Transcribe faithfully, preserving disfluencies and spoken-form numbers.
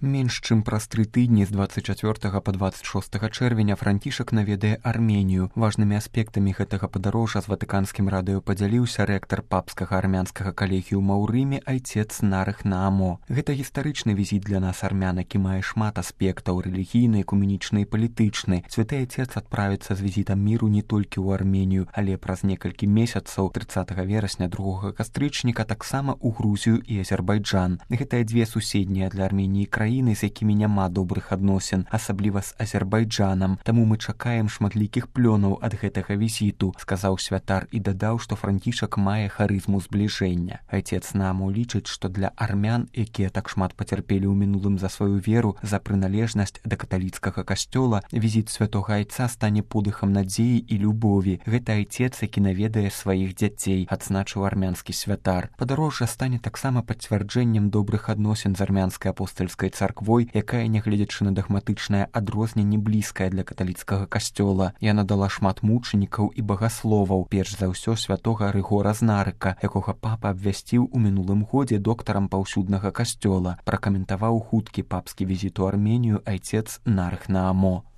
Менш чым праз тры тыдні з дваццаць чацвёртага па дваццаць шостага чэрвеня Францішак наведае Арменію. Важнымі аспектамі гэтага падарожжа з ватыканскім радыё падзяліўся рэктар папскага армянскага калегіума ў Рыме айцец Нарых Наамо. Гэта гістарычны візіт для нас армян, які мае шмат аспектаў рэлігійны, экуменічны і палітычны. Святы айцец адправіцца з візітам міру не толькі ў Арменію, але праз некалькі месяцаў трыццатага верасня другога кастрычніка таксама ў Грузію і Азербайджан. Гэтыя дзве суседнія для Арменіі краіны, з якімі няма добрых адносін, асабліва з Азербайджанам. Таму мы чакаем шматлікіх плёнаў ад гэтага візіту, сказаў святар і дадаў, што Францішак мае харызму збліжэння. Айцец Наамо лічыць, што для армян, якія так шмат пацярпелі ў мінулым за сваю веру, за прыналежнасць да каталіцкага касцёла, візіт святога айца стане подыхам надзеі і любові. Гэта айцец, які наведае сваіх дзяцей, адзначыў армянскі святар. Падарожжа стане таксама пацвярджэннем добрых адносін з армянскай апостальскай царквой, якая, нягледзячы на дагматычнае адрозненне, блізкая для каталіцкага касцёла. Яна дала шмат мучанікаў і багасловаў, перш за ўсё святога Рыгора з Нарыка, якога папа абвясціў у мінулым годзе доктарам паўсюднага касцёла. Пракаментаваў хуткі папскі візіт у Арменію айцец Нарых Наамо.